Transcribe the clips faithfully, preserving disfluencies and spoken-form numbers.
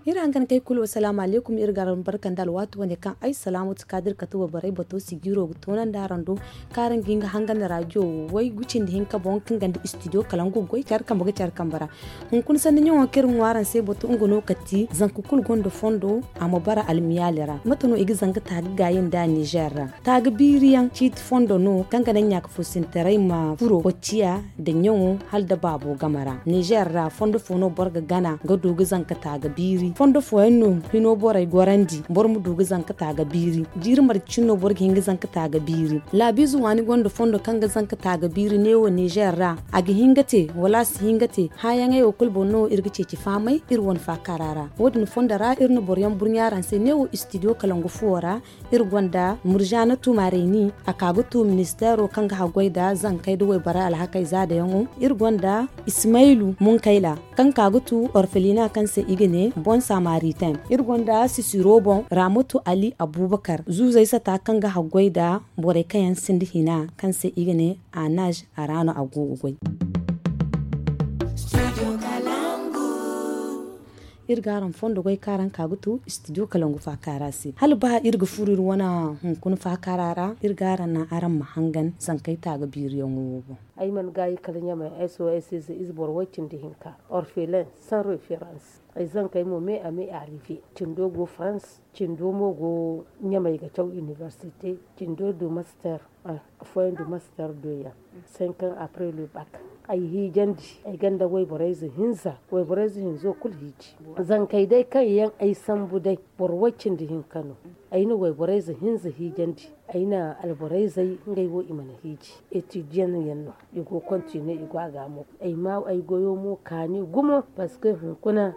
Iri hangan kay kulu, asalaamu alaykum. Iri ga araŋ barka nda alwaati wane kaŋ ay salaamatu kaadir kate wayborey bato sijiro ga toonandi araŋ do, kaŋ araŋ ga hin ga hangan rajo way gucindi hinka boŋ kaŋ ganda istidiyo kalangu goy care kambe ga care kambe ra. Hunkuna sanni ɲaŋo kaŋ iri ga ŋwa araŋ se bato nga no kati zanka kulu gonda fondo a ma bara almiyaali ra. Mate no i ga zanka taaga gaayi nda nizer ra? Taaga biiriyaŋ ciiti fondo no kaŋ ga naŋ ɲaaka foosintaray ma furo kocciya nda ɲaŋo hala nda baabo game ra. Nizer ra fondo fo no boro ga gana ga du ga zanka taaga biiri. Fondo fooyaŋ no hino borey gorandi boro ma du ga zanka taaga biiri. Jiiri marje cine no boro ga hin ga zanka taaga biiri. Laabiize waani gonda fondo kaŋ ga zanka taaga biiri neewo nizer ra. A ga hin ga te wala a si hin ga te? Hããyaŋey wo kulu boŋ no iri ga ceeci fahamay iri wane faakaara ra. Wo- din fondo ra iri na boroyaŋ burɲa araŋ se neewo istidiyo kalangu fuwo ra. Iri gonda murzaana tumaarayni a ka ga tu ministeero kaŋ ga haggoy nda zankey nda wayborey alhakey zaadayaŋo. Iri gonda ismaylu munkayla kaŋ ka ga tu orfelina kaŋ se i ga ne bon samaritain. Iri gonda sisiro boŋ ramatu ali abubakar zuuzey sata kaŋ ga haggoy nda borey kaŋ yaŋ sinda hina kaŋ se i ga ne anaj a ra no a go ga goy. Iri ga araŋ fondo goy kaŋ araŋ ka ga tu istidiyo kalangu faakaara se hala ba iri ga furo iri wane hunkuna faakaara ra. Iri ga araŋ naŋ araŋ ma hangan zankey taaga biiriyaŋo wo boŋ. Ay mana gaayi kala ɲamay ay so ay se ize boro way cindi hinka orphelin sans reference. Ay zankey mo me a me arrive cindo go france, cindo mo go ɲamay ga caw inibersite, cindo du master. Afooyaŋ du master deux yaŋ. Cinq ans après le bac ay hiijandi ay gonda wayborey ze hinza wayborey ze hinzo kulu hiiji. Zankey day kaŋ yaŋ ay sambu day boro way cindi hinka no. Ay na wayborey ze hinza hiijandi. Ay na alborey zey ngey wo i mana hiiji. Etidiyaŋ yaŋ no i go kontine i go a ga mo ay ma ay goyo mo kaani gumo parceque hunkuna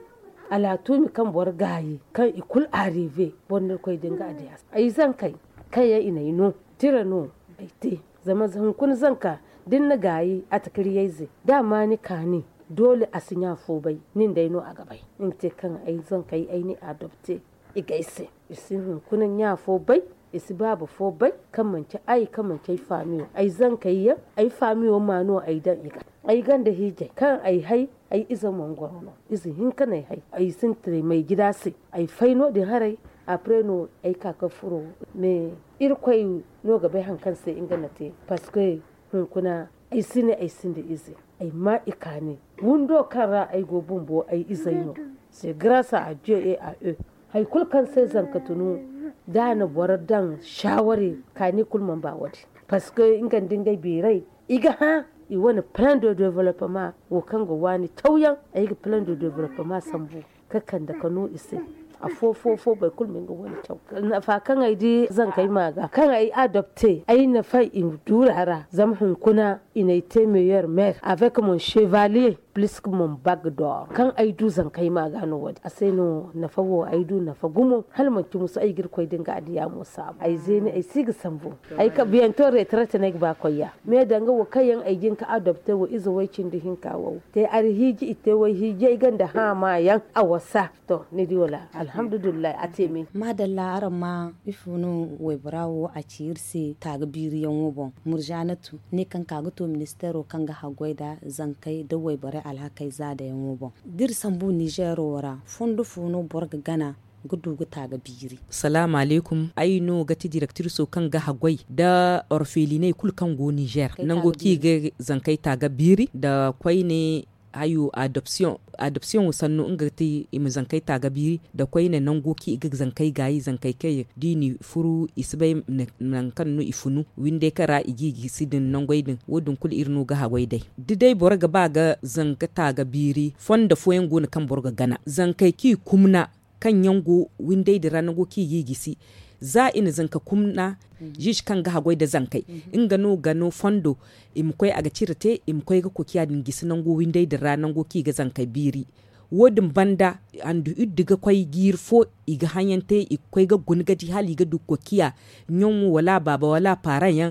alatuumi kaŋ boro gaayi kaŋ i kulu arrive boro no iri koy da nga adiyas ay zankey kaŋ yaŋ i na ay no tira no. Ay te zama hunkuna zanka da ni na gaayi a takiriyayze da a ma ni kaani doole a si ɲa fo bay nin day no a ga bay. Nga te kaŋ ay zankey ay n'i adopte i ga ay se i si hunkuna ɲa fo bay i si baaba fo bay kaŋ manci ay kaŋ manci ay faamiyo ay zankey yaŋ ay faamiyo ma no ay daŋ i ga ay gonda hiijay kaŋ ay hay ay ize mangoro no ize hinka no ay hay ay sintiray may jida se. Ay fay no- din haray apre no ay ka ga furo mais irkoy no ga bay hari kaŋ se nga na te parceque hunkuna ay si ne ay sinda ize ay ma i kaani windo kaŋ ra ay go bumbo ay izey no. C'est grâce à dieu et à eux. Hari kulu kaŋ se zanka tunu da a na boro daŋ shawari kaani kulu mana ba wo- din parceque nga nda ngey beeray i ga hã i wane plan de développement wo kaŋ ga waani cawyaŋ ay ga plan de développement sambu ka kande ka no i se. Afo fo fo boro kulu ma nga wane caw nafa kaŋ ay di zankey ma ga kaŋ ay adopte ay nafa i duura ra zama hunkuna i n'ay te meilleur maire avec mon chevalier plus que mon bague d'or kaŋ ay du zankey ma ga no wo- din a se no nafa wo ay du nafa gumo hala manci musu ay ga irkoy da nga adiya mo saabu ay zeeni ay si ga sambu. Ay ka bientôt retraite no ay ga ba koy ya mais danga wo kaŋ yaŋ ay jin ka adopte wo ize way cindi hinka wo te ari hiiji i te way hiiji ay gonda haama yaŋ a wasa. To ni di wala alhamdulillahi a te me. Maadalla araŋ ma ifo no waybora wo a ci iri se taaga biiriyaŋo boŋ. Murzaanatu ne kaŋ ka ga to ministeero kaŋ ga haggoy nda zankey nda wayborey alhakey zaadayaŋo boŋ da iri sambu nizeero ra fondo fo no boro ga gana ga du ga taaga biiri? Salaamu alaykum. Ay no ga ti direktiriso kaŋ ga haggoy nda orfeliney kulu kaŋ go nizeer nango kaŋ i ga zankey taaga biiri nda koyne hayo adopsiyoŋ. Adopsiyoŋo sannu nga ga ti i ma zankey taaga biiri nda koyne nango kaŋ i ga zankey gaayi zankey kaŋ yaŋ da i n'i furu i si bay nangu kaŋ no i funu windey kaŋ ra i g'i gisi din nangey din wo- din kulu iri no ga haggoy day. Da day boro ga ba ga zanka taaga biiri fondo fooyaŋ go no kaŋ boro ga gana zankey kaŋ i kumna kaŋ yaŋ go windey din ra nango kaŋ i g'i gisi za i na zanka kumna. Ziize kaŋ ga haggoy nda zankey nga no ga no fondo i ma koy a ga cire te i ma koy ga kokiya din gisi nango windey din ra nango kaŋ i ga zankey biiri. Wo- din banda handu iddu ga koy jiiri fo i ga haŋyaŋ te i ga koy ga guna ga di hala i ga du kokiya ɲaŋo wala a baaba wala a paaraŋ yaŋ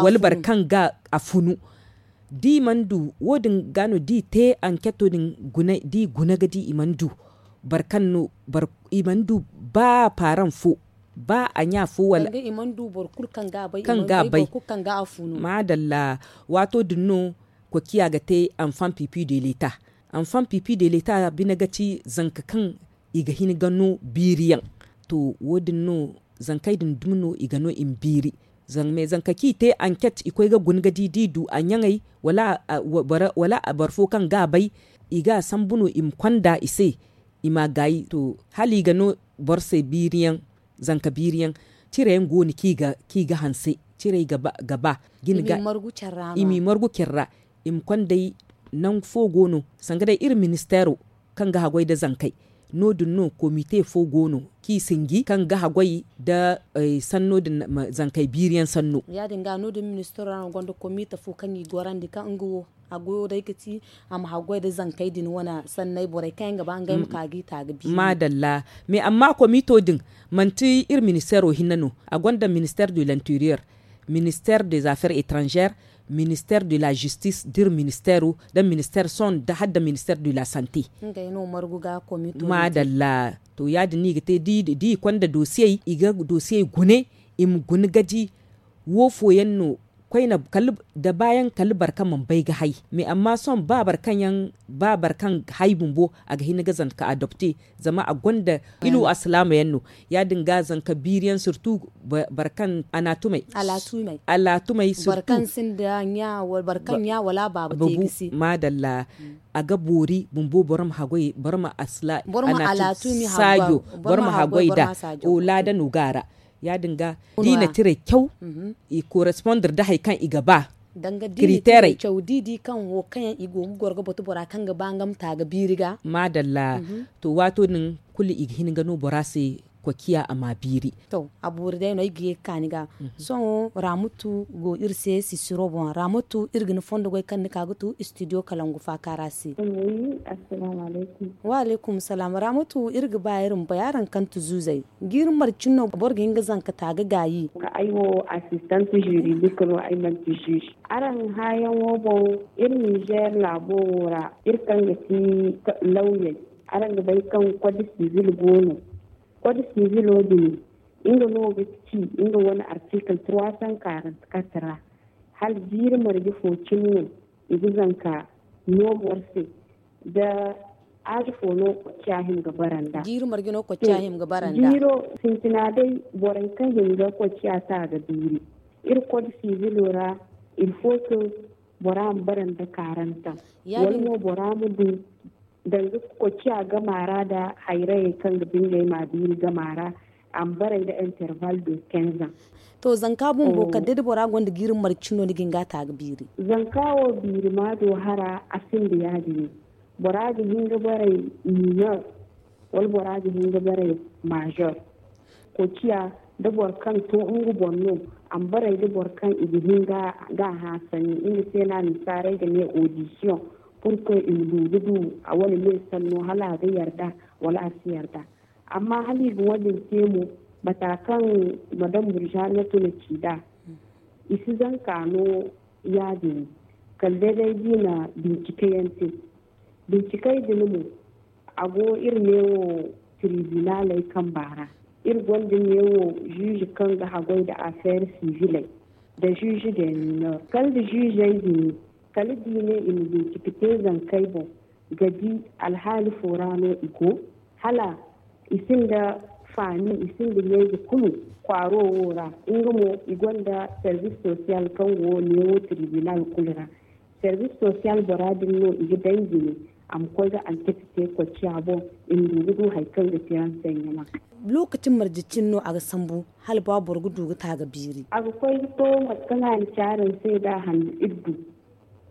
wala boro kaŋ ga a funu. Da i mana du wo- din ga no da i te anketo din da i guna ga di i mana du boro kaŋ no i mana du ba a paaraŋ fo ba a ɲa fo wala kaŋ ga a bay. Maadalla. Waato din no kokiya ga te anfan pipi de leta. Anfan pipi de leta bine ga ci zanka kaŋ i ga hin ga no biiri yaŋ. To wo- din no zankey din dumi no i ga no i ma biiri. Zama zanka kaŋ i te anket i koy ga guna ga di da i du a ɲaŋey wala a boro fo kaŋ ga a bay, i ga a sambu no i ma konda i se, i ma a gaayi to hala i ga no boro se biiri yaŋ. Zanka biiri yaŋ cire yaŋ go no kaŋ i ga hanse. Cirey ga ba ga ba ga i m'i margu care ra i ma konday nangu fo go no sanga day iri ministeero kaŋ ga haggoy nda zankey. No- din no komite fo go no kaŋ i sinji kaŋ ga haggoy nda sanno din zankey biiri yaŋ sanno. Ya- din ga no- din ministeero ra no gonda komite fo kaŋ i gorandi kaŋ nga wo a goyo day ga ti a ma haggoy nda zankey din wane sanney borey kaŋ yaŋ ga ba ngey ma ka ga i ta ga biiri. Maadalla. Mais amma komito din manti iri ministeero hinne no. A gonda ministeer de l'interieur, ministeer des affaires étrangères, ministeer de la justice d'iri ministeero nda ministeer sohõ nda hala nda ministeer de la sante. Maadalla. To ya- din no i ga te da i konda dosiyey i ga dosiyey gune i ma guna ga di wo fooyaŋ no koyne. Nda baayaŋ kala boro kaŋ mana bay ga hay mais amma sohõ ba boro kaŋ yaŋ ba boro kaŋ hay bumbo a ga hin ga zanka adopte. Zama a gonda ilu alsilaama yaŋ no. Ya- din ga zanka biiri yaŋ sirtu boro kaŋ anaatumey alaatumey sirtu boro kaŋ ɲa wala baaba te ga se. Maadalla. A ga boori bumbo boro ma haggoy boro ma alaatumey saajo boro ma haggoy nda. Laada no ga a ra. Ya- din ga da i na tirey caw i korespondre nda hari kaŋ i ga ba. Kiriteerey caw da i di kaŋ wo kaŋ yaŋ i go ga goro ga batu bora kaŋ ga ba nga ma ta ga biiri ga. Maadalla. To waato din kulu i ga hin ga no bora se kwaciya a ma biiri. To a boori day no ay ga ye ga ka ni ga. Sohõ raamatu go iri se sisiro boŋ raamatu iri ga ni fondo goy kaŋ ni ka ga tu studio kalangu faakaara se. Wa alaykum salaam raamatu iri ga ba iri ma bay araŋ kaŋ tu zuuzey. Jiiri marcin no boro ga hin ga zanka ta ga gaayi. Ay wo asistant juridik no ay manti juge. Araŋ hãayaŋo boŋ iri ninzeer laabo wo ra iri kaŋ ga ti lawyey. Araŋ ga bay kaŋ kod sivil go no. Kod sivilo din nga no ga ci nga wane artikil trois cent quarante quatre ra. Hala jiiri marje fo cine no i ga zanka no boro se da aaji fo no kocciya hima ga bara nd'a. Jiiri marje no kocciya hima ga bara nd'a. Jiiro sintina day borey kaŋ hima ga kocciya ta ga biiri. Iri kod sivilo ra ilfo kaŋ bora ma bara nda karantaŋ wala mo bora ma du danga kocciya gama ra nda hayrayey kaŋ ga bingey ma biiri gama ra. A ma baray nda interval de quinze ans. To zanka bumbo kala day da bora gonda jiiri marcino ni ga hin ga a ta ga biiri. Zanka wo biiri ma do hara a sinda ya- din. Bora ga hin ga baray minor wala bora ga hin ga baray major. Kociya da boro kaŋ to nga boŋ no a ma baray da boro kaŋ i ga hin ga a hã sanni nga se no a nasaarey ga ne audition. Purke i ma du ga du a wane me sanno hala a ga yarda wala a si yarda. Amma hala i ga wadin te mo mata kaŋ madam burjana tuna ci nd'a i si zanka no ya- din kala day day da i na bincike yaŋ te. Bincikey din mo a go iri neewo tribunaley kamba ra. Iri gonda neewo juge kaŋ ga haggoy nda afeer siviley nda juge de minor kala nda jugey din kala da i ne i ma bincike te zankey boŋ ga di alhaali fo ra no i go hala i sinda faami i sinda ɲayze kulu kwaaro wo ra. Nga mo i gonda service social kaŋ go neewo tribunal kulu ra. Service social bora din no i ga danji ne a ma koy ga anketi te kocciya boŋ i ma du ga du hari kaŋ ga te renseignement. Lokaci marje cine no a ga sambu hala ba boro ga du ga ta ga biiri. A ga koy ga to mate kaŋ a na ci araŋ se nd'a handu iddu.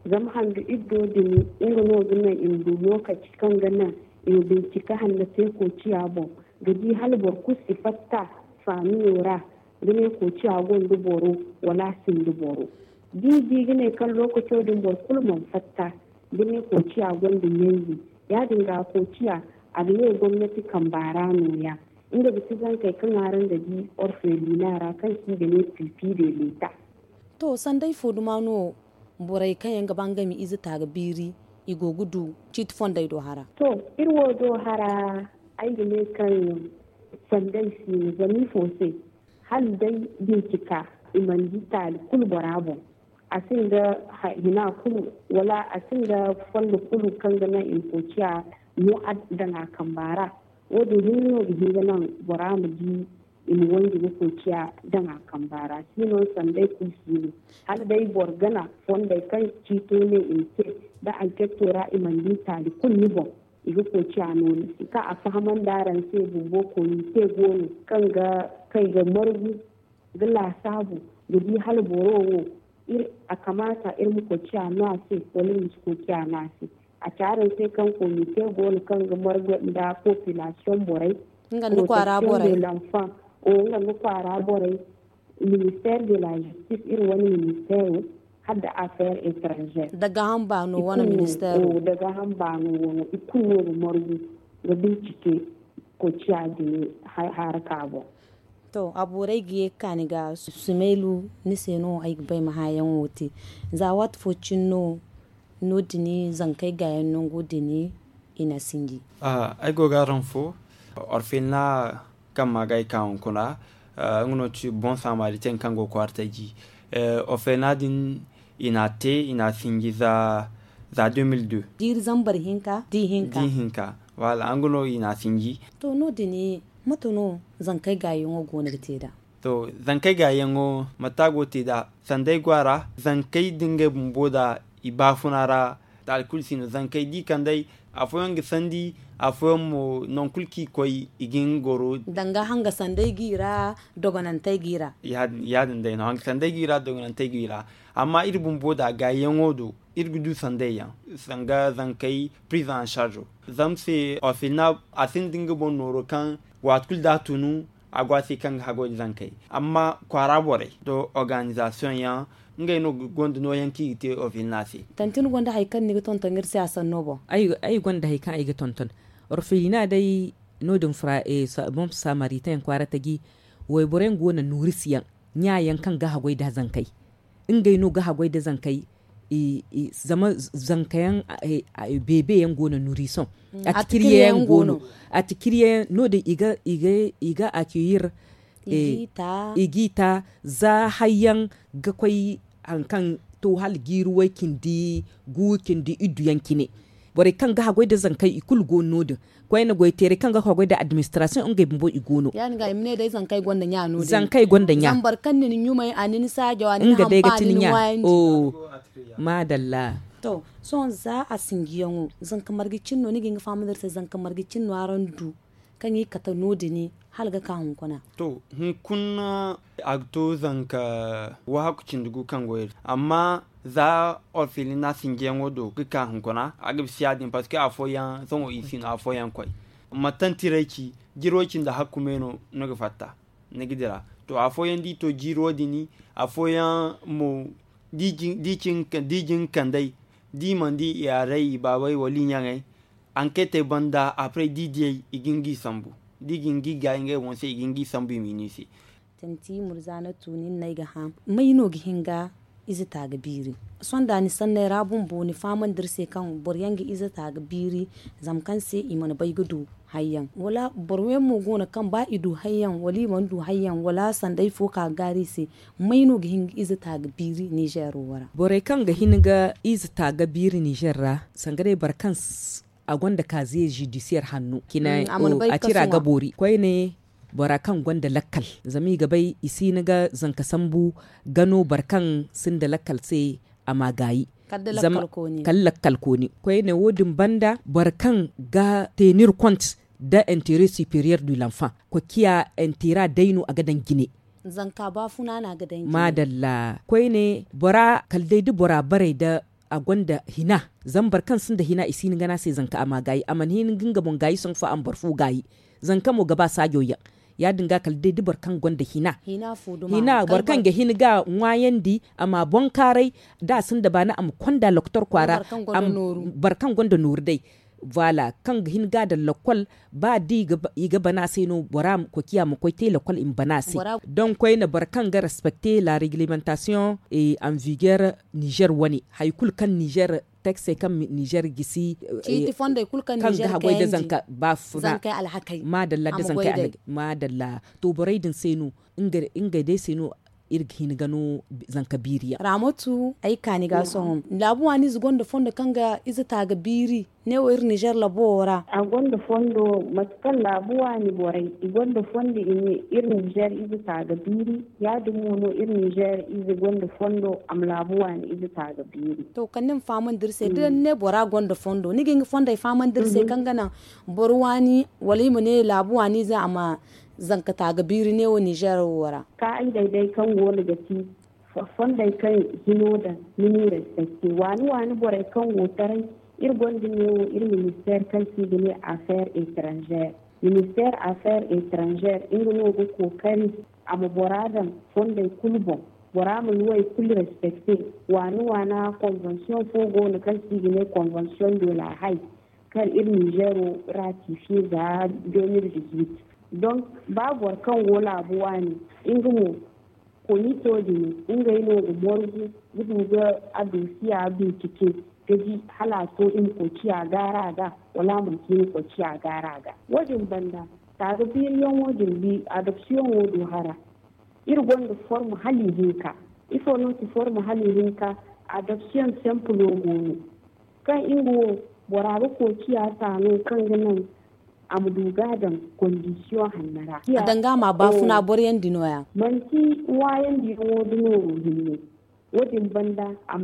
Zama handu iddo din nga no ga naŋ i ma du lokaci kaŋ ga naŋ i ma bincika hanno te koociya boŋ ga di hala boro kulu si fatta faamiyo ra ga ne koociya gonda boro wala a sinda boro. Da i di ga ne kaŋ lokaco din boro kulu mana fatta ga ne koociya gonda ɲanzi ya- din ga koociya a ga ne gomnati kamba ra no- ya. Nga ga ti zankey kaŋ araŋ ga di orfelina ra kaŋ se i ga ne pipi de leta. To sanday fo duma no borey kaŋ yaŋ ga ba ngey ma ize ta ga biiri i go ga du ciiti fondey do hara? To iri wo do hara ay ga ne kaŋ sanday si no zama ifo se hala day bincika i mana di taali kulu bora boŋ. A sinda hina kulu, wala a sinda fondo kulu kaŋ ga naŋ i ma koy ciya no daŋ a kamba ra. Wo- din hinne no ga hin ga naŋ bora ma di i ma wanji ga koy ciya daŋ a kamba ra. Siino sanday kulu si no, hala day boro gana fondey kaŋ ciito ne i ma te, da anketo ra i mana di taali kulu ni boŋ, i ga koy ciya no ni se. Kaŋ a fahamandi araŋ se bumbo komite go no kaŋ ga kay ga margu ga laasaabu ga di hala boro wo, a kamaata iri ma koy ciya no a se, wala iri ma si koy ciya no a se. A ci araŋ se kaŋ komite go no kaŋ ga margu nda population borey, protection de l'enfant, nga nda kwaara borey, ministère de la justice, iri wane ministère, hala da affaire étrangère, da gaaham baano wane ministère, da gaaham baano wano i kulu no ga margu ga bincike koy ciya din haraka boŋ. To, a boorey ga ye ga ka ni ga, Sumeylu, ni se no ay ga bay ma hããyaŋo te. Za waati fo cine no no- din zankey gaayaŋ nango din i na sinji. Ay go ga araŋ fo, orfelina kaŋ ma ga ay ka hunkuna, nga no ti bon samaritaine kaŋ go kwaara taji. Orfelina din i na a te, i na a sinji za deux mille deux. Jiiri zambar hinka di hinka. Wala nga no i na a sinji. To, no- din mate no zankey gaayaŋo go no ga te nd'a? To, zankey gaayaŋo mate a go ga te nd'a? Sanda ay go a ra, zankey da ngey bumbo nd'a i baafuna ra, taali kulu si no. Zankey da i kand'ey, afooyaŋ ga sandi, afooyaŋ mo nangu kulu kaŋ i koy i ga hin ga goro. Danga hanga sandey g'i ra, dogonantey g'i ra. Ya- din day no hanga sandey g'i ra, dogonantey g'i ra. Amma iri bumbo nd'a gaayaŋo do, iri ga du sandey yaŋ, sanga zankey prise en charge. Zama se orfelina a sinda nga boŋ nooro kaŋ waati kulu da a tunu, a go a se kaŋ ga haggoy nda zankey. Amma kwaara borey nda organizasiyoŋ yaŋ, ngey no gonda nooyaŋ kaŋ i ga te orfelina se. Tanti ni gonda hari kaŋ ni ga tonton iri se a sanno boŋ? Ay gonda hari kaŋ ay ga tonton. Orfelina day, no- din bon samaritaine kwaara taji, wayboro yaŋ go no nuurisiyaŋ, ɲa yaŋ kaŋ ga haggoy nda zankey. Ngey no ga haggoy nda zankey. Zama zanka yaŋ, beebe yaŋ go no nurisoŋ, atikiriye yaŋ go no. Atikiriye yaŋ no- din i ga accueillir, i g'i ta za hari yaŋ ga koy hari kaŋ to hala jiiri way cindi gu cindi iddu yaŋ cine. Borey kaŋ ga haggoy nda zankey i kulu go no- din. Koyne goyteerey kaŋ ga haggoy nda administration ngey bumbo i go no. Ya- din ga i ma ne day zankey gonda ɲa no- din. Zankey gonda ɲa. Zama boro kaŋ na ni ɲumay, a na ni saajaw, a na ni hampani, ni waayandi. Maadalla. To, sohõ za a sinjiyaŋo, zanka marje cine no ni ga hin ga fahamandi iri se, zanka marje cine no araŋ du kaŋ i kate no- din hala ga ka hunkuna? To, hunkuna a ga to zanka wahakku cindi gu kaŋ go iri, amma za orfelina sinjiyaŋo do ga ka hunkuna, a ga bisa ya- din, parce que afooyaŋ sohõ i si no afooyaŋ koy. Mantantiray ci, jiro cindi hakku me no ni ga fatta, ni ga dira. To, afooyaŋ da i to jiiro din, afooyaŋ mo da i jin kand'ey, da i mana di i yaaray, i baabey wala i ɲaŋey, anketey banda, après da i diyey, i ga hin ga i sambu. Da i ga hin ga i gaayi ngey boŋ se, i ga hin ga i sambu i ma i no i se. Tanti Murzaanatu, nin no ay ga hã, may no ga hin ga ize ta ga biiri? Sohõ da ni sanney ra bumbo, ni fahamandi iri se kaŋ boro yaŋ ga ize ta ga biiri, zama kaŋ se i mana bay ga du hari yaŋ, wala boro yaŋ mo go no kaŋ ba i du hari yaŋ, wala i mana du hari yaŋ, wala sanda ifo ka ga gaari i se, may no ga hin ga ize ta ga biiri Nizeero wo ra? Borey kaŋ ga hin ga ize ta ga biiri Nizeer ra, sanga day boro kaŋ a gonda kaaziye zidisiyeer hanno, a tira ga boori koyne. Bora kaŋ gonda lakkal, zama i ga bay i si hin ga zanka sambu ga no boro kaŋ sinda lakkal se, a ma gaayi. Kala lakkal kooni. Koyne wo- din banda, boro kaŋ ga tenir kont nda intere superiyer du lanfan, kokiya intera day no a ga daŋ jine. Zanka baafuna no a ga daŋ jine. Maadalla. Koyne bora kala day da bora baray nda a gonda hina, zama boro kaŋ sinda hina i si hin ga ne a se zanka a ma gaayi, a mana hin ga nga boŋ gaayi sohõ fo a ma boro fo gaayi. Zanka mo ga ba saajo yaŋ. Ya- din ga kala day da boro kaŋ gonda hina, boro kaŋ ga hin ga ŋwaayandi, a ma boŋkaaray, da a sinda baani a ma konda lokotor kwaara. Boro kaŋ gonda nooru day, voilà, kaŋ ga hin ga a daŋ lakkol. Ba da i ga bana se no bora ma koy ciya ma koy te lakkol i ma bana se. Donk koyne boro kaŋ ga respecter la réglementation en vigueur niger wane, hari kulu kaŋ niger texte kaŋ niger gisi, kaŋ ga haggoy da zanka ba funa. Madalla da zankey alhakay. Madalla. To borey din se no, ngey day se no Iri ga hin ga no zanka biiri yaŋ. Raamatu, ay kaani ga sohõ laabu waani ize gonda fondo kaŋ ga ize taaga biiri ne wo iri nizer labo wo ra. A gonda fondo mate kaŋ laabu waani borey i gonda fondo i ne iri nizer ize taaga biiri. Ya- din mo no iri nizer ize gonda fondo a ma laabu waani ize taaga biiri. To kala ni ma fahamandi iri se da ni ne bora gonda fondo ni ga hin ga fondey fahamandi iri se kaŋ ga naŋ boro waani wala i ma ne laabu waani ize a ma zanka taaga biiri ne wo nizer wo ra. Ka ay day-day kaŋ go no ga ti fondey kaŋ hino daŋ ni n'i respecte waani waani borey kaŋ go taray. Iri gonda neewo iri ministeer kaŋ se i ga ne affaire etranzeer. Ministeer affaire etranzeer nga no ga kookari a ma bora daŋ fondey kulu boŋ. Bora ma luwey kulu respecte. Waani waana konvensiyoŋ fo go no kaŋ se i ga ne konvensiyoŋ de la hay kaŋ iri nizeero ratifiye za de mil dizuwit. Donk ba boro kaŋ go laabu waani nga mo komito din ngey no ga morgu ga du ga a dosiya bincike ga di hala a to i ma koy ciya gaara ga wala a mana to i ma koy ciya gaara ga. Wo- din banda taaga biiriyaŋo din adopsiyoŋo du hara. Iri gonda form hala ihinka. Ifo no ti form hala ihinka? Adopsiyoŋ sempilo go no kaŋ nga wo bora ga koy ciya taano kaŋ ga naŋ a ma du ga a daŋ kondisiyoŋ hanno ra. A danga ma baafuna boro yaŋ di no- ya. Manti ŋwaayandi yaŋo da nooro hinne. Wo- din banda a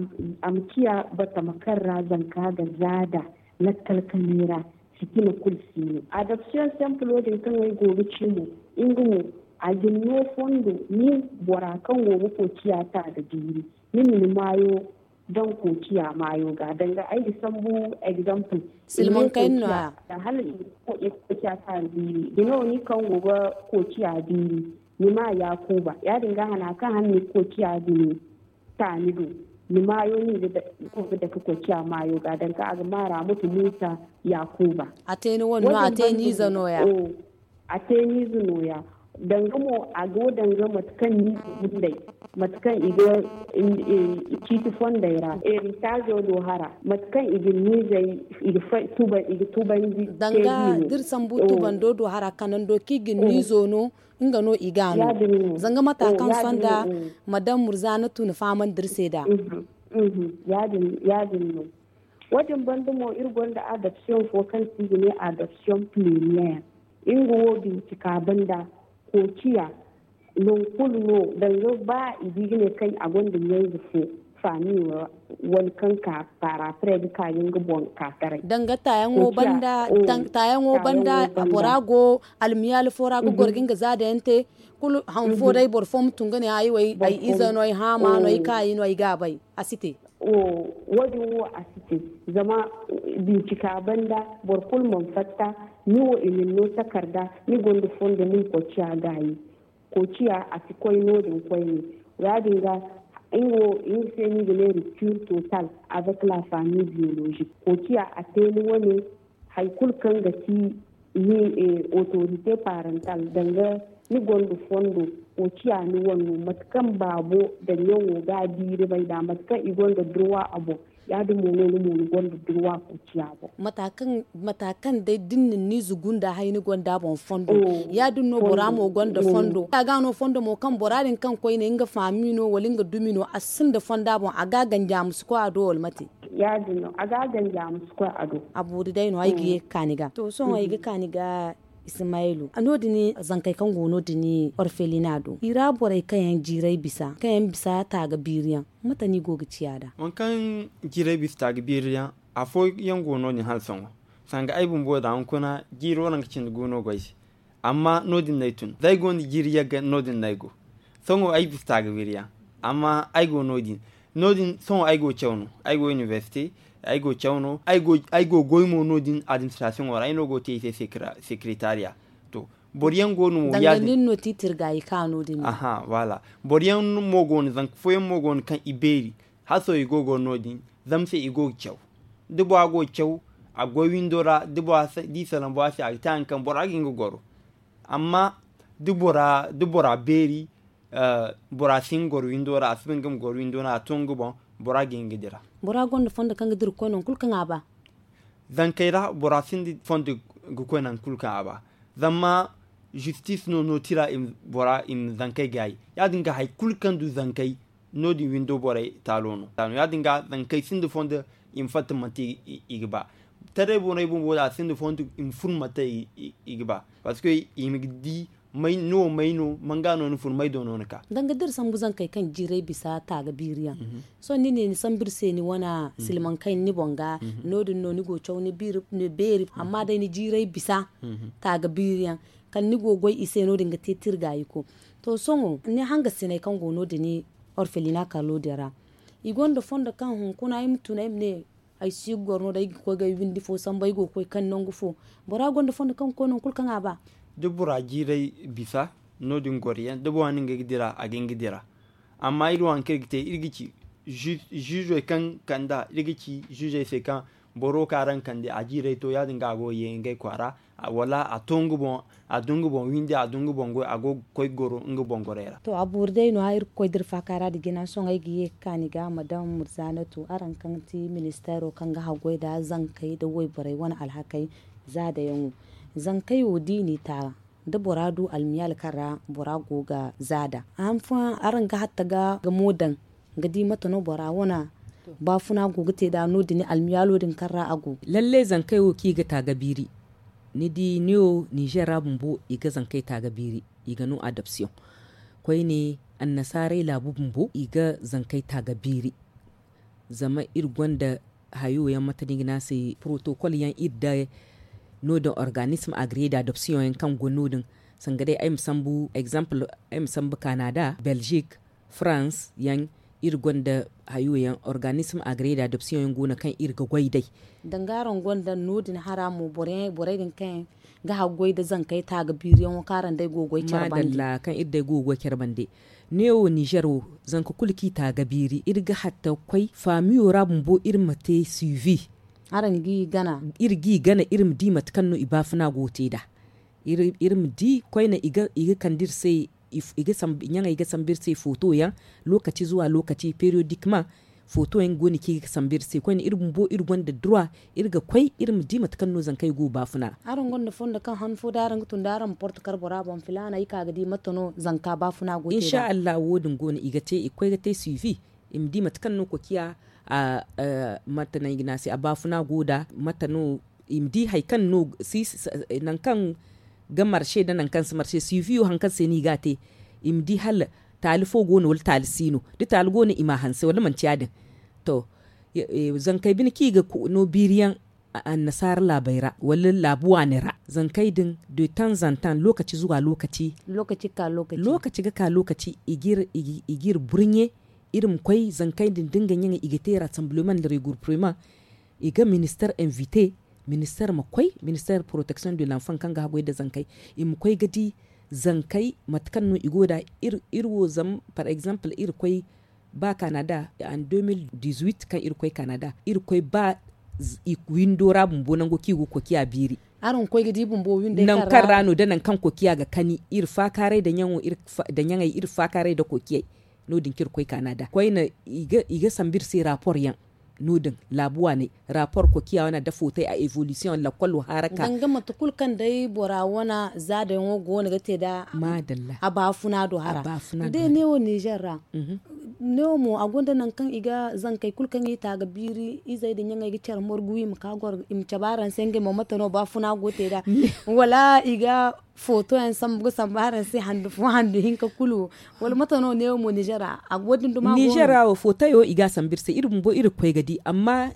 ma ciya batama kaŋ ra zanka ga zaada lakkal kanay ra. Fitina kulu si no adopsiyoŋ sempilo din kaŋ ay go ga ci mo nga mo a ga ni no fondo nin bora kaŋ go ga koy ciya ta ga jiiri ni ma ni maayo daŋ koociya maayo ga danga ay ga sambu egzample. Silmaŋ kayna no- ya. Hala i ga koociya taani biiri bine wo ni kaŋ go ga koociya biiri ni ma yaakuuba ya- din ga hana kaŋ hana ni ga koociya bine taani do ni maayo no i ga dake koociya maayo ga danga a ga maara mutu muusa yaakuuba. A te ni wane no a te ni ize no- ya. A te ni ize no- ya. Danga mo a go danga mate kaŋ ni ga gundey mate kaŋ i ga ciiti fondey ra eritaazo do hara mate kaŋ i ga ni izey i ga tubandi. Danga da iri sambu tubando do hara kanando kaŋ i ga ni izo no nga no i ga a no. Zanga mata kaŋ sonda madam murzana tun fahamandi iri se nd'a. Ya- din no. Wo- din banda mo iri gonda adopsiyoŋ fo kaŋ se i ga ne adopsiyoŋ piliniyeer. Nga wo bincika banda koociya non kulu no danga ba i ga i ga ne kaŋ a gonda ɲayze fo faami wala kaŋ ka paara prey ga ka ga nga boŋ ka taray. Danga taayaŋo banda bora go almiyaali fo ra ga goro ga nga zaada yaŋ te kulu han fo day boro fo ma tun ga ne ay ize no ay haama no ay kaayi no ay ga a bay. A si te. Wo- din wo a si te. Zama bincika banda boro kulu mana fatta ni wo i na ni no takarda ni gonda fondo ni ma koociya gaayi. Koociya a si koy no- din koyne. Ya- din ga nga wo nga se no i ga ne rupture total avec la famille biologique koociya a te ni wane. Hari kulu kaŋ ga ti ni autorité parental danga ni gonda fondo koociya ni wane no mate kaŋ baabo daŋ yaŋo ga a biiri bay nd'a mate kaŋ i gonda durwa a boŋ. Ya- din mo no ni mo ni gonda durwa koociya boŋ. Mata kaŋ day da ni na ni ize gunda hari ni gonda a boŋ fondo. Ya- din no bora mo gonda fondo a ga no fondo mo kaŋ bora din kaŋ koyne nga faami no wala nga dumi no a sinda fondo a boŋ a ga a ganji a ma si koy a do wala mate? Ya- din no a ga a ganji a ma si koy a do. A boori day no ay ga ye ga ka ni ga to sohõ ay ga ka ni ga. Ismayilu no- din zankey kaŋ go no- din orfelina do i ra borey kaŋ yaŋ jiiray bisa kaŋ yaŋ bisa taaga biiri yaŋ mate no i go ga ciya nd'a? Waŋ kaŋ jiiray bisa taaga biiri yaŋ afooyaŋ go no- din hala sohõ sanga ay bumbo da hunkuna jiiro ra nga cindi go no go ay se. Amma no- din no ay tun za ay go nda jiiri yagga no- din no ay go. Sohõ ay bisa taaga biiri yaŋ amma ay go no- din. No- din sohõ ay go caw no ay go inibersite ay go caw no ay go goy mo no- din administrasiyoŋo ra ay no go te i se sekeretariya. To boro yaŋ go no mo ya- din no ti tirgaayi ka no- din. Aha wala boro yaŋ mo go no zanka fooyaŋ mo go no kaŋ i beeri. Haso i go goro no- din zama se i go ga caw da bora go ga caw a goy windo ra da bora di salaŋ bora se a ga te hari kaŋ bora ga hin ga goro. Amma da bora beeri bora si hin ga goro windo ra a si ba nga ma goro windo ra a to nga boŋ. Bora ga hin ga dira. Bora gonda fondo kaŋ ga dira ga koy nangu kulu kaŋ a ba. Zankey ra bora sinda fondo ga koy nangu kulu kaŋ a ba. Zama justice no no tira bora i ma zankey gaayi. Ya- din ga hari kulu kaŋ du zankey no- din windo borey taalo no. Ya- din ga zankey sinda fondo i ma fatta manti i ga ba. Taray borey bumbo da a sinda fondo i ma fun manti i ga ba. Parce que i ma di ni wo may no manga no ni fun may do no ni ka. Danga da iri sambu zankey kaŋ jiiray bisa taaga biiri yaŋ. Sohõ ni ne ni sambu iri se ni wane silmaŋ kaŋ ni boŋ ga no- din no ni go ga caw ni beeri amma day ni jiiray bisa taaga biiri yaŋ kala ni go ga goy i se no- din ga te tirgaayiko. To sohõ ni hangasiney kaŋ go no- din orfelina kalo din ra i gonda fondo kaŋ hunkuna ay ma tun ay ma ne ay si ga goro no- din ay ga koy ga ay windi fo sambu ay go ga koy kaŋ nangu fo. Bora gonda fondo kaŋ ga koy nangu kulu kaŋ a ba. Da bora jiiray bisa no- din goro yaŋ da bora na nga ga dira a ga nga dira. Amma iri wo hari kaŋ iri ga te iri ga ci ziizey kaŋ kand'a iri ga ci ziizey se kaŋ boro kaŋ araŋ kande a jiiray to ya- din ga a go ga ye ngey kwaara wala a to nga boŋ a du nga boŋ windi a du nga boŋ goy a go ga koy goro nga boŋ gorey ra. To a boori day no- ya iri ga koy da iri faaka ra nda jina sohõ ay ga ye ga ka ni ga madam murzaanatu araŋ kaŋ ti ministeero kaŋ ga haggoy nda zankey nda wayborey wane alhakey zaadayaŋo. Zankey wo da i n'i ta da bora du almiyaal kaŋ ra bora go ga zaada a han fooyaŋ araŋ ga hatta ga mo daŋ ga di mate no bora wane baafuna go ga te nd'a no- din almiyaalo din kaŋ ra a go. Lalle zankey wo kaŋ i ga taaga biiri ni di ne wo ninzeer ra bumbo i ga zankey taaga biiri i ga no adoption koyne annasaarey laabu bumbo i ga zankey taaga biiri. Zama iri gonda hayo yaŋ mate no i ga ne a se protocol yaŋ iri da no- din organisme agreed adoption yaŋ kaŋ go no- din sanga day ay ma sambu exemple ay ma sambu kanada belgique france yaŋ iri gonda hayo yaŋ organisme agreed adoption yaŋ go no kaŋ iri ga goy day. Danga araŋ gonda no- din hara mo borey din kaŋ ga haggoy nda zankey taaga biiriyaŋo kaŋ araŋ day go ga goy care bande. Kaŋ iri day go ga goy care bande ne wo ninzeer wo zanka kulu kaŋ i taaga biiri iri ga hatta ga koy faamiyo ra bumbo iri ma te suivi. Araŋ ga i gana iri ga i gana iri ma di mate kaŋ no i baafuna go ga te nd'a. Iri ma di koyne i ga kande iri se ɲaŋey ga sambu iri se footo yaŋ lookaci zuwa lookaci periyodikmaŋ. Footo yaŋ go no kaŋ i ga sambu iri se koyne iri bumbo iri gonda duruwa iri ga koy iri ma di mate kaŋ no zankey go ga baafuna. Araŋ gonda fondo kaŋ han fo da araŋ ga tun da araŋ ma porte kar bora boŋ filaana ay ka ga di mate no zanka baafuna go ga te nd'a. Insa allahu wo- din go no i ga te i ga koy ga te suivi i ma di mate kaŋ no kokiya mate no ay ga ne a se a baafuna go nd'a mate no i ma di hari kaŋ no nangu kaŋ ga marse nda nangu kaŋ si marse suivi wo hari kaŋ se no i ga a te. I ma di hala taali fo go no wala taali si no da taali go no i m'a hanse wala manti ya- din. To zankey bine kaŋ i ga no biiri yaŋ annasaara laabey ra wala laabu waaney ra zankey din de tanzantan lookaci zuwa lookaci. Lookaci ga ka lookaci i ga iri burɲe iri ma koy zankey din da nga ɲaŋey i ga te rassemblement nda regurpuremaŋ. I ga minister invite minister ma koy minister protection de lanfan kaŋ ga haggoy nda zankey i ma koy ga di zankey mate kaŋ no i go nd'a. Iri wo zama par exemple iri koy ba kanada en deux mille dix-huit kaŋ iri koy kanada iri koy ba windo ra bumbo nango kaŋ i go ga kokiya biiri. Nangu kaŋ ra no da nangu kaŋ kokiya ga kani iri faakaaray nda ɲaŋey iri faakaaray nda kokiyey. No- din kaŋ iri koy kanada koyne i ga sambu iri se rapport yaŋ no- din laabu waaney rapport kokiya wane nda footey a evolution lakkolo haraka. Danga mate kulu kaŋ day bora wane zaadayaŋo go no ga te nd'a a baafuna do hara. Day ne wo ninzeer ra ne wo mo a gonda nangu kaŋ i ga zankey kulu kaŋ i ta ga biiri izey nda ɲaŋey ga care morgu i ma ka goro i ma cabe araŋ se ngey mo mate no baafuna go ga te nd'a wala i ga footo yaŋ sambu ga sambu araŋ se handu fo handu hinka kulu wala mate no ne wo mo ninzeer ra a ga wo- din duma go no. Ninzeer ra wo footo yaŋ wo i ga a sambu iri se iri bumbo iri ga koy ga di amma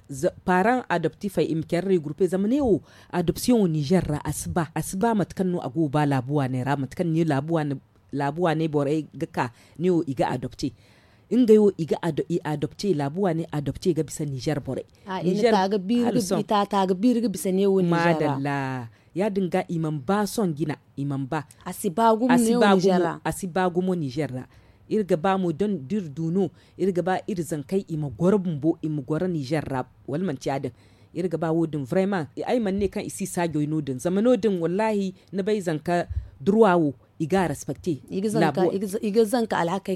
paaraŋ adoptifey i ma care regurpe zama ne wo adoption wo ninzeer ra a si ba a si ba mate kaŋ no a go ga ba laabu waaney ra mate kaŋ ne laabu waaney borey ga ka ne wo i ga adopte. Ngey wo i adopte laabu waaney adopte ga bisa ninzeer borey. I ta ta ga biiri ga bisa ne wo ninzeer ra. Ya- din ga i mana ba sohõ jina i mana ba a si ba gumo ninzeer ra. Iri ga ba mo da iri du no iri ga ba iri zankey i ma goro bumbo i ma goro ninzeer ra. Wala manti ya- din iri ga ba wo- din vrayman ay mana ne kaŋ i si saajoy no- din zama no- din wallahi ni bay zanka durwa wo i ga a respecte. I ga zanka alhakey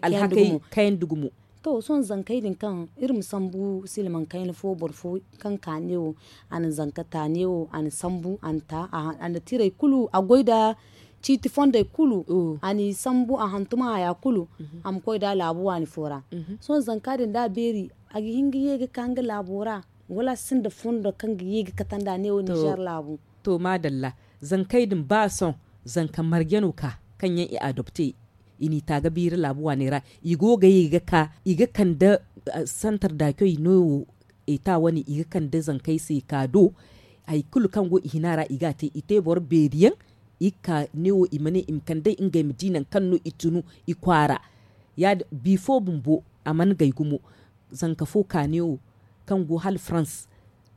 kayandi gumo. To sohõ zankey din kaŋ iri ma sambu silmaŋ kayna fo boro fo kaŋ ka ne wo a na zanka ta ne wo a na sambu a na ta a na tirey kulu a goy nda ciiti fondey kulu. A n'i sambu a hantum a haya kulu. A ma koy nd'a laabu waani fo ra. Sohõ zanka din da a beeri, a ga hin ga ye ga ka nga laabo ra, wala a sinda fondo kaŋ ga ye ga kate nd'a neewo ninzeer laabu? To maadalla. Zankey din ba sohõ zanka marje no ka kaŋ yaŋ i adopte, i n'i taaga biiri laabu waaney ra. I go ga ye ga ka i ga kande santar daacoy no wo eta wane i ga kande zankey se ka do. Hari kulu kaŋ go i hina ra i ga a te i te boro beeri yaŋ. I ga ka neewo i ma ne i ma kande ngey ma di nangu kaŋ no i tunu i kwaara. Bifo bumbo a mana gay gumo. Zanka fo ka neewo kaŋ go hala farans,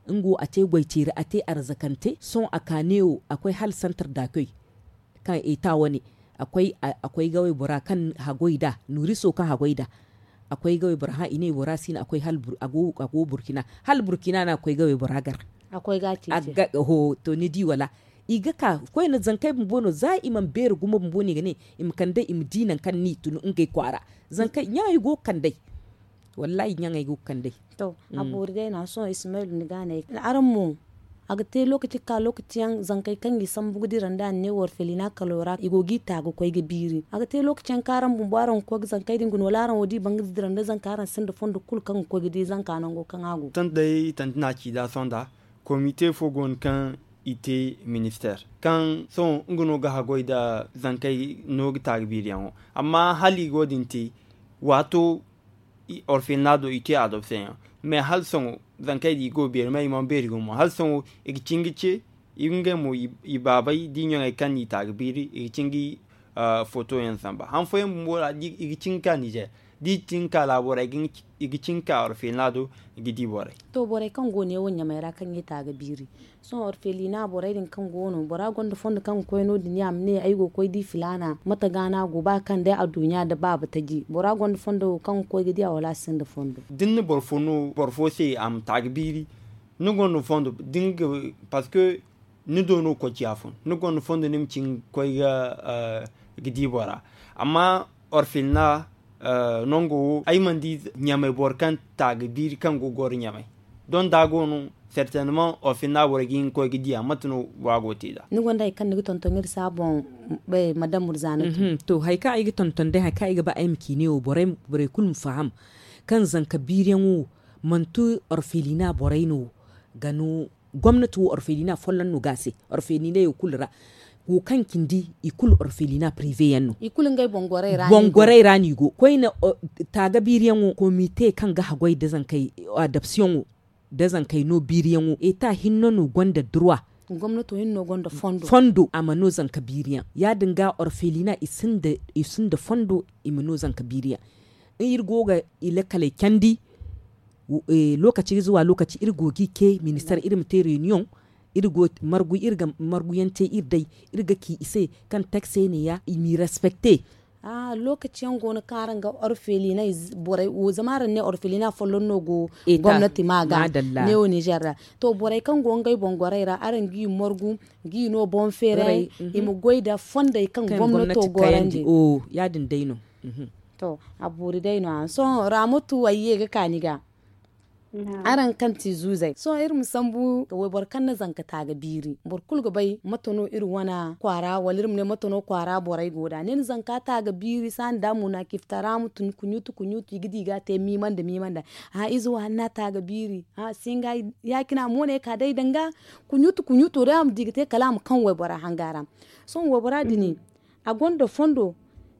nga wo a te goyteeri a te arzakante sohõ a ka neewo a koy hala santar daacoy kaŋ eta wane. A koy ga waybora kaŋ hagoy nd'a, nuriso kaŋ hagoy nd'a. A koy ga waybora hã i ne waybora si no a koy hala burkina hala burkina no a koy ga waybora gar. Ho to ni di wala? I ga ka koyne zankey bumbo no za i mana beeri gumo bumbo no i ga ne i ma kand'ey i ma di nangu kaŋ ni tun ngey kwaara. Zankey ɲaŋey go ga kand'ey. Wallaahi ɲaŋey go ga kand'ey. To, a boori day no a sohõ ismayil ni ga a ne araŋ mo. A ga te lookaci ga ka lookaci yaŋ zankey kaŋ i sambu ga dira nda a ne warfelina kalo ra i go ga i ta ga koy ga biiri a ga te lookaci yaŋ kaŋ araŋ bumbo araŋ ga koy ga zankey din guna wala araŋ wo da i ban ga dira nda zanka araŋ sinda fondo kulu kaŋ ga koy ga di zanka nango kaŋ a go. Tanti day tanti no a ci da sohõ nda komite fo go no kaŋ i te ministeer kaŋ sohõ nga no ga haggoy nda zankey no ga ta ga biiriyaŋo. Amma hala i go din te waato orfelina do i te adopseyaŋ. Mais hala sohõ zankey din i go beeri ma i mana beeri gumo hala sohõ i ga cin ga ce. Ngey mo i baabey da i ɲaŋey kaŋ no i ta ga biiri i ga cin ga i fotoyaŋ samba han fooyaŋ bumbo ra i ga cin ga ka nizeer da i cin ga ka laabo ra i ga cin ga ka orfelina do i ga di borey. To borey kaŋ go neewo ɲamey ra kaŋ i ta ga biiri sohõ orfelina borey din kaŋ go no bora gonda fondo kaŋ ga koy no- din ya ma ne ay go ga koy di filaana mate ga no a go ba kaŋ day adduɲɲa nda baaba taji bora gonda fondo wo kaŋ ga koy ga di a wala a sinda fondo? Da ni na boro fo no boro fo se a ma ta ga biiri ni gonda fondo da ni ga parceque ni do no ga koy ciya fun ni gonda fondo ni ma cin ga koy ga di bora. Amma orfelina nango wo ay mana di ɲamey boro kaŋ ta ga biiri kaŋ go ga goro ɲamey. Donda go no sertenemaŋ orfelina borey ga hin ga koy ga diya mate no wa go ga te nd'a? Ni gonda hari kaŋ ni ga tonton iri se a boŋ? Madam murzana. To hari kaŋ ay ga tonton day hari kaŋ ay ga ba ay ma ci ne wo borey kulu ma faham kaŋ zanka biiriyaŋo manti orfelina borey no ga no. Gomnati wo orfelina folloŋ no ga a se orfelina yaŋ kulu ra wo kaŋ cindi i kulu orfelina pirive yaŋ no. I kulu ngey boŋ gorey ra no i go koyne. Taaga biiriyaŋo komite kaŋ ga haggoy nda zankey adopsiyoŋo nda zankey no biiriyaŋo eta hinne no gonda durwa. Gomnato hinne no gonda fondo a ma no zanka biiriyaŋ ya- din ga orfelina i sinda fondo i ma no zanka biiriyaŋ. Iri go ga i lakkaley candi. Lookaci ga zuwa lookaci iri go ga i ce ministar iri ma te reyuniyoŋ. Iri go margu iri ga marguyaŋ te iri day iri ga ci i se kaŋ taksey ne ya i m'i respekte. Lookaci yaŋ go no kaŋ araŋ ga orfelina borey wo zama araŋ ne orfelina folloŋ no go gomnati ma ga ne wo nizer ra. To borey kaŋ go ngey boŋ gorey ra araŋ g'i margu g'i no boŋ feeray i ma goy nda fondey kaŋ gomnato gorandi. Ya- din day no. To a boori day no a sohõ raamatu ay ye ga ka ni ga. Araŋ kaŋ ti zuuzey sohõ iri ma sambu wayboro kaŋ na zanka taaga biiri boro kulu ga bay mate no iri wane kwaara wala iri ma ne mate no kwaara borey go nd'a ni na zanka taaga biiri saani nda munakiftara ma tun kuɲuutu kuɲuutu i ga di i ga a te miima nda miima nda. Ize wo hanna taaga biiri singa ya- cine a mo no ay ka day danga kuɲuutu kuɲuuto day a ma di ga te kala a ma kaŋ waybora hanga ra. Sohõ waybora din a gonda fondo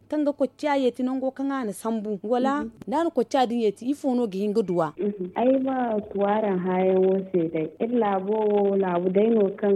kaŋ ga kocciya yeeti nango kaŋ a na sambu wala da a na kocciya din yeeti ifo no ga hin ga duwa? Ay ma tu araŋ hãayaŋo se day iri laabo wo laabu day no kaŋ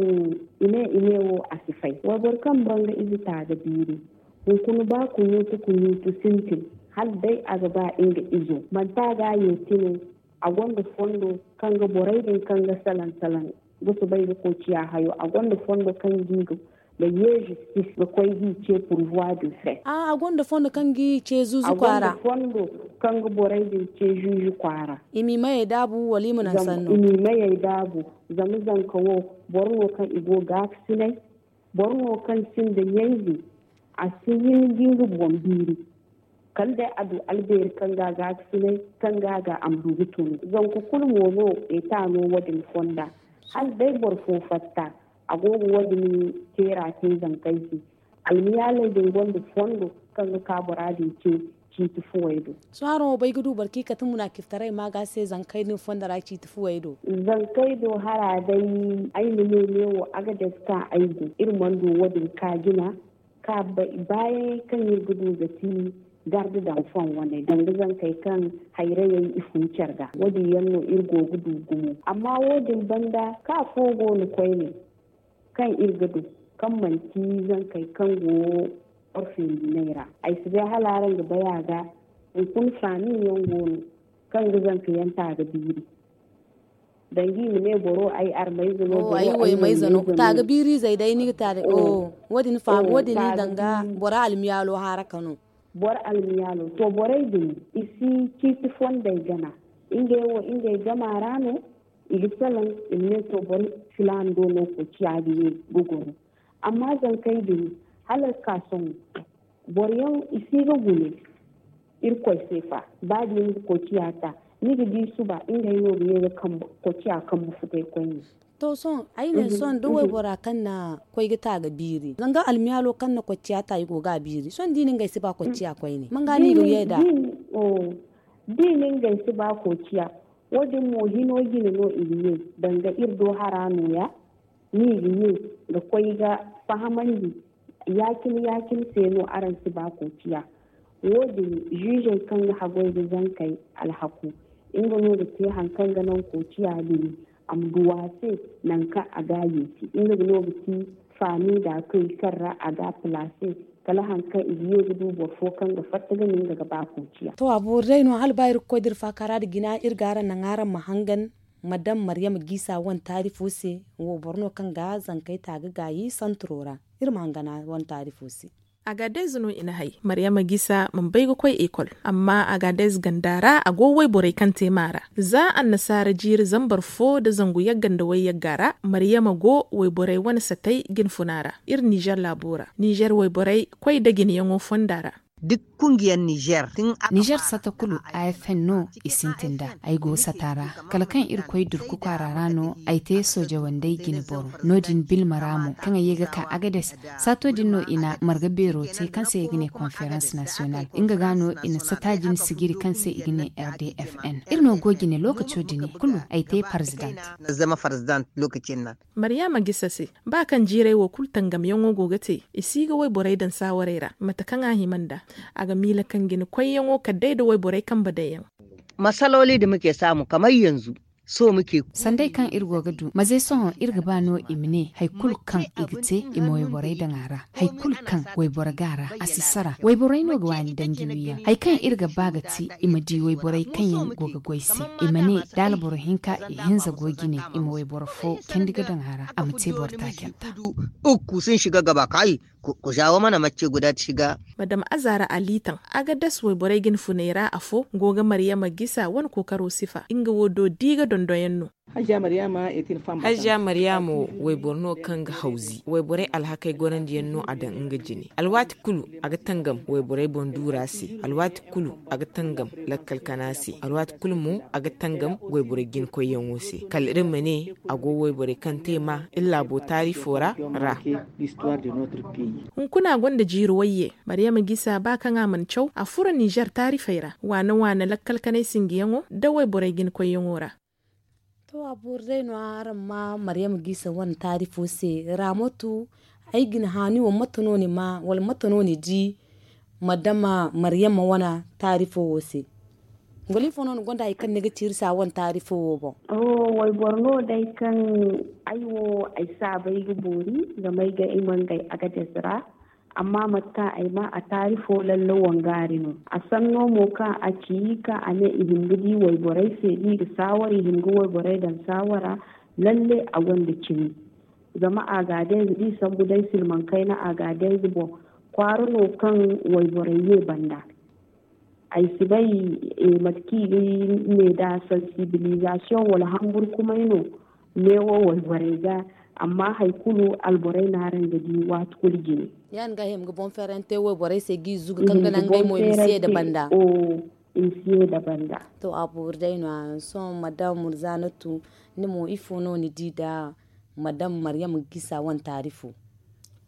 i ne i ne wo a si fay wayboro kaŋ boro nga ize taaga biiri. Hunkuna ba kuɲuutu kuɲuutu sintin hala day a ga ba nga izo manti a ga a yeeti no. A gonda fondo kaŋ ga borey din kaŋ ga salaŋ salaŋ ga soobay ga koy ciya hayo a gonda fondo kaŋ ga i ga ga ye zistis ga koy g'i ce purvoi du fret. A gonda fondo kaŋ g'i ce zuuzu kwaara. Fondo kaŋ ga borey din ce zuuzu kwaara. I m'i mayey daabu wala i ma naŋ sanno? I m'i mayey daabu. Zama zanka wo boro no kaŋ i go gaakasinay boro no kaŋ sinda ɲayze a si hin ga nga boŋ biiri. Kala day a du albeeri kaŋ ga a gaakasinay kaŋ ga a ga a ma du ga tunu zanka kulu mo no eta no wo- din fonda. Hala day boro fo fatta a go ga wo- din teera te zankey se. Almiyaaley din gonda fondo kaŋ ga ka bora din ce ciiti fuwey do. Sohõ araŋ wo bay ga du boro kaŋ i kate munaakiftaray ma ga se zankey din fondo ra ciiti fuwey do. Zankey do hara day ay ma ne neewo agades kaŋ ay go iri mana du wo- din ka jina ka baayaŋey kaŋ iri ga du ga ti garde daŋ fon wane danga zankey kaŋ hayrayey i fun care ga wo- din yaŋ no iri go ga du gumo amma wo- din banda ka fo go no koyne kaŋ iri ga du kaŋ manti zankey kaŋ go orfindiney ra. Ay si bay hala araŋ ga bay a ga hunkuna faami yaŋ go no kaŋ ga zanka yaŋ taaga biiri danga i ma ne boro ay armayze no boro ay waymayze no. Taaga biirizey day ni ga te a day wo- din faami wo- din i danga boro almiyaalo haaraka no. Boro almiyaalo to borey din i si ciiti fondey gana ngey wo ngey gama ra no i ga salaŋ i ma ne to boro filaana do no koociya ga ye ga goro. Amma zankey din hala ga ka sohõ boro yaŋ i si ga gune irkoy se fa ba da i na koociya ta ni ga di suba ngey no ga ye ga koociya kambu futay koyne. To sohõ ay ne sohõ da waybora kaŋ na koy ga ta ga biiri zanga almiyaalo kaŋ na koociya ta i go ga a biiri sohõ da i na ngey si ba koociya koyne manga no i ga ye nd'a. Da i na ngey si ba koociya wo- din mo hino jine no i ga ye danga iri do hara no- ya no i ga ye ga koy ga fahamandi ya- cine ya- cine se no araŋ si ba koociya. Wo- din ziizey kaŋ ga haggoy ga zankey alhaku nga no ga te hari kaŋ ga naŋ koociya din a ma du a se nangu kaŋ a ga a yeeti nga no ga ti faami da a koy kaŋ ra a ga a palaase kala hari kaŋ i ga ye ga du boro fo kaŋ ga fatta ga nin ga ga ba koociya. To a boori day no hala ba iri ga koy da iri faaka ra nda jina iri ga araŋ naŋ araŋ ma hangan madam maryama giisa wane taarifo se. Wo boro no kaŋ ga zankey ta ga gaayi santiro ra. Iri ma hangan a wane taarifo se. Agadez no i na hay maryama giisa mana bay ga koy ekol amma agadez ganda ra a go wayborey kaŋ te maara za annasaara jiiri zambar fo nda zangu yagga nda wayyagga ra maryama go wayborey wane satey jinfuna ra. Iri nizer laabo ra nizer wayborey koy nda jineyaŋo fonda ra. Nizer sata kulu a f n no i sintin nd'a. Ay go sata ra kala kaŋ iri koy durku kwaara ra no ay te sooje wandey jine boro. No- din bilma ra mo kaŋ ay ye ga ka agades saato din no i na marga beero te kaŋ se i ga ne konferans nasiyonal nga ga no i na sata jine sijiri kaŋ se i ga ne r d f n. Iri no go jine lookaco din kulu ay te parzidant. Zama farzidant lookaci nda. Maryama gisa se ba kaŋ jiirey wo kulu tangamyaŋo go ga te i si ga wayborey daŋ saawarey ra mate kaŋ a hima nd'a. A ga miila kaŋ jine koyyaŋo kala day nda wayborey kambe daŋ yaŋ. Masalooli da muke saamu kamar yanzu. Sohõ muke. Sanday kaŋ iri go ga du maze sohõ iri ga ba no i ma ne hari kulu kaŋ i ga te i ma wayborey daŋ a ra. Hari kulu kaŋ wayboro ga a ra a si sara wayborey no ga waani danji wiyaŋ hari kaŋ iri ga ba ga ti i ma di wayborey kaŋ yaŋ go ga goy se. I ma ne da alboro hinka i hinza go jine i ma wayboro fo candi ga daŋ a ra a ma te boro taacanta. Ukku sun shiga gaba kai. Ku jawo mana macce guda ta shiga. Madam azara ali taŋ agadas wayborey jine funey ra afo go ga maryama gisa wane kookaro sifa nga wo do di ga dondoyaŋ no. Hajja maryama wo wayboro no kaŋ ga hawzi wayborey alhakey gorandi yaŋ no a daŋ nga jine alwaati kulu a ga tangam wayborey boŋ duura se alwaati kulu a ga tangam lakkal kana se alwaati kulu mo a ga tangam wayborey jine koyyaŋo se kala iri ma ne a go wayborey kaŋ te ma iri laabo taarifo ra ra. Hunkuna gonda jiiri wayye maryama gisa ba kaŋ a mana caw a furo nizer taarifey ra waana waana lakkal kanay sinjiyaŋo nda wayborey jine koyyaŋo ra. To a boori day no araŋ ma maryama gisa wane taarifo se. Raamatu ay ga ni haani wo mate no ni ma wala mate no ni di madama maryama wane taarifo wo se? Goliifo no ni gonda hari kaŋ ni ga tiiri se a wane taarifo wo boŋ? Wayboro no day kaŋ ay wo ay saabay ga boori zama ay ga ay mangay agades ra. Amma mate kaŋ ay maa a taarifo lalle wangaari no. A sanno mo kaŋ a ci kaŋ a ne i hin ga di wayborey se da i ga saawara i hin ga wayborey daŋ saawara. Lalle a gonda cimi. Zama a ga day nda i sambu day silmaŋ kayna a ga day nda boŋ kwaara no kaŋ wayborey ye banda. Ay si bay mate kaŋ i ga ne nd'a sansibilizasiyoŋ wala hamburkumay no. Neewo wayborey ga amma hari kulu alborey no araŋ ga di waati kulu jine. Ya- din ga ay ma ga boŋ feerante wayborey se ga i zugu kaŋ ga naŋ ngey mo i ma si ye nda banda. I ma si ye nda banda. To a boori day no- ya sohõ madam murzanatu ni mo ifo no ni di nda madam maryama gisa wane taarifo?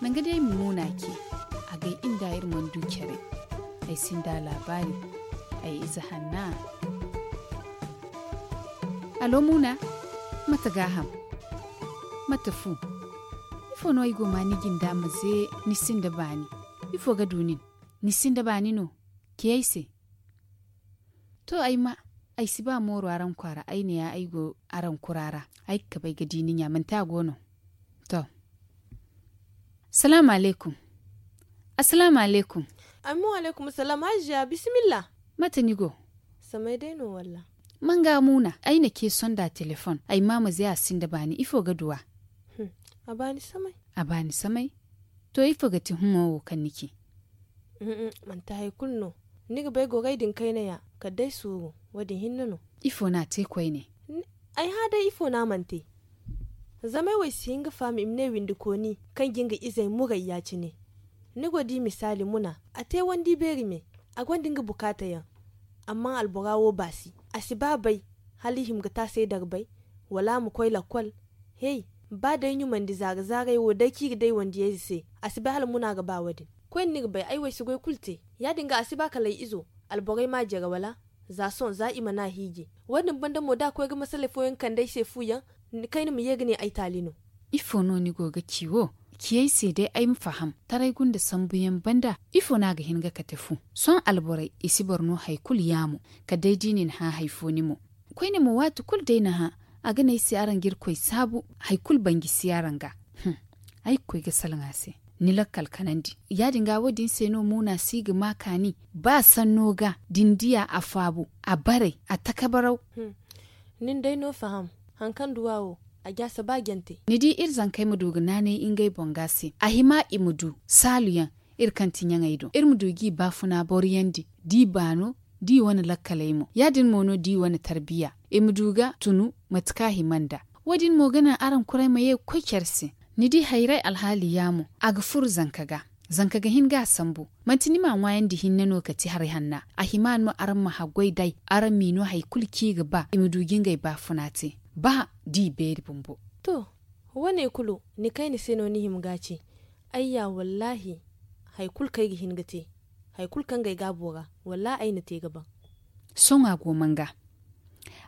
Nangu day muuna ce. A gay inda iri mana du care. Ay sinda laabaari. Ay ize hanna. Alo muuna. Mate gaaham? Mate fu? Ifo no ay go ma ni jinda ma ze ni sinda baani? Ifo ga du nin? Ni sinda baani no? Ci ay se. To ay ma, ay si ba mooro araŋ kwaara ay ne ya ay go araŋ kura ra. Ay ga kabay ga di ni ɲa manti a go no? To. Salaamu alaykum. Assalaamu alaykum. Amin wa alaykum salaam hajja bisimilla. Mate ni go? Samay day no walla? Manga muuna ay na ce sonda telefoŋ ay ma ma ze a sinda baani ifo ga duw'a? A baani samay. A baani samay. To ifo ga ti humo wo kaŋ ni ci? Manti hari kulu no. Ni ga bay goray din kayna ya kala day suuru. Wo- din hinne no. Ifo no a te koyne? Ay hã day ifo no a mana te. Zama ay wo ay si hin ga faham i ma ne windikooni kaŋ ga nga izey muray ya- cine. Ni go di misaali muna a te wandi beeri me. A gonda nga bukaata yaŋ. Amma albora wo baasi. A si ba bay hala i hima ga taasay darbay wala a ma koy lakkol. Hey, ba day ɲumandi zaara-zaaray wo day kaŋ i ga day wandiyayze se. A si bay hala muna ga ba wo- din. Koyne ni ga bay ay wo ay si goy kulu te. Ya- din ga a si ba kala ay izo alborey ma a jare wala? Za sohõ za i mana a hiiji. Wo- din banda mo da a koy ga masaley fooyaŋ kande ay se fu yaŋ, kayna ma ye ga ne ay taali no. Ifo no ni go ga ci wo? Ciyey se day ay ma faham, taray gunda sambuyaŋ banda ifo no a ga hin ga kate fu? Sohõ alborey, i si boro no hari kulu yaamo, kala day da i na ni hã hari fo ni mo. Koyne mo waati kulu day ni hã, a ga ne ay se araŋ ga irkoy saabu, hari kulu banji si araŋ ga. Ay ga koy ga salaŋ a se, ni lakkal kanandi. Ya- din ga wo- din se no muuna si ga ma kaani. Ba sanno ga da ni diya a faabu, a baray, a takabaraw. Nin day no faham, hari kaŋ duwa wo, a jaasa ba jante. Ni di iri zankey ma du ga naanay ngey boŋ ga se, a hima i ma du saaluyaŋ, iri kaŋ ti ɲaŋey do iri ma du g'i baafuna boroyandi, d'i baano, d'i wane lakkaley mo. Ya- din mo no d'i wane tarbiya, i ma du ga tunu mate kaŋ a hima nd'a. Wo- din mo ga naŋ araŋ kuray ma ye ga koy care se. Ni di hayray alhaali yaamo, a ga furo zanka ga. Zanka ga hin ga a sambu. Manti ni m'a ŋwaayandi hinne no ga ti haray hanna. A hima no araŋ ma haggoy day, araŋ m'i no hari kulu kaŋ i ga ba i ma du ga ngey baafuna te, ba d'i beeri bumbo. To, wo- ne kulu, ni kayna se no ni hima ga a ci. Ayya wallaahi, hari kulu kaŋ ay ga hin ga te, hari kulu kaŋ ga ay gaabo ra, wallaahi ay na te ga ban. Sohõ a go man ga.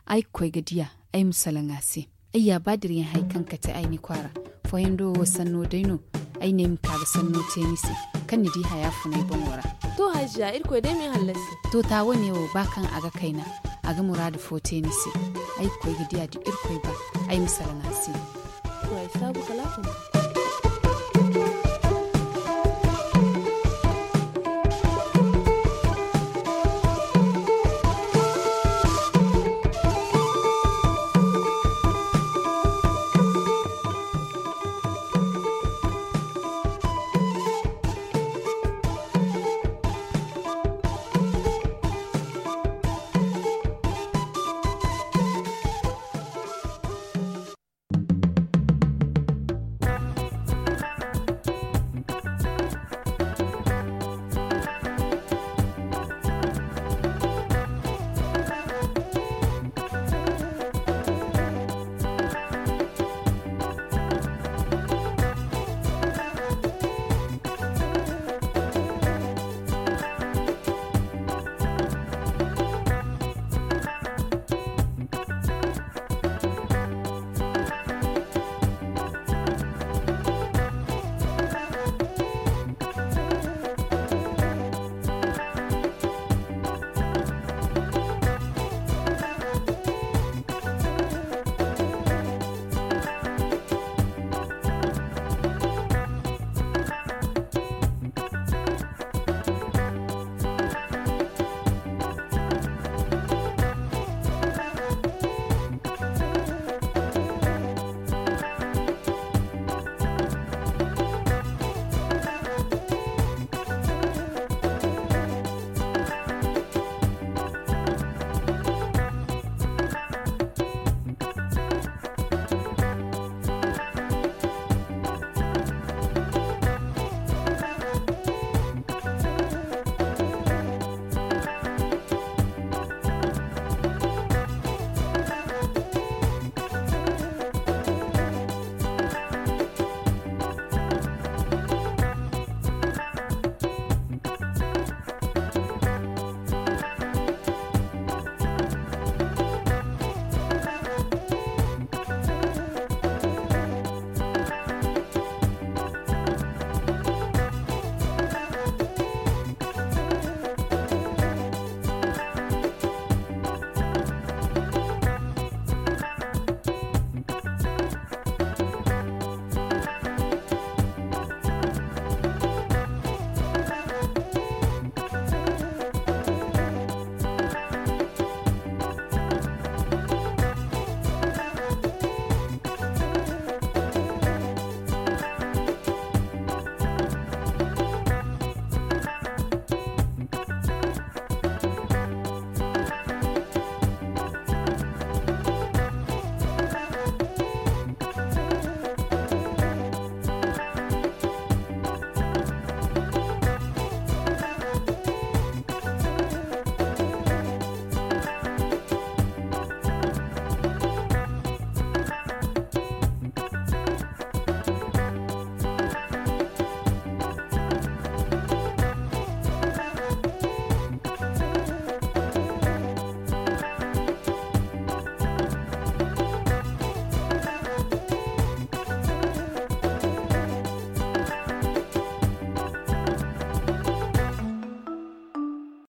Ay ga koy ga diya, ay ma salaŋ a se. Ay ya ba dirayaŋ hari kaŋ kate ay ni kwaara. Fooyaŋ do wo sanno day no. Ay ne ay ma ka ga sanno te ni se, kaŋ ni di haya funay boŋo ra. To hajja irkoy day ma ay hallasi. To ta wo- ne wo ba kaŋ a ga kayna, a ga muraadu fo te ni se. Ay ga koy ga diya da irkoy ba, ay ma salaŋ a se. To ay saabu kala a fun.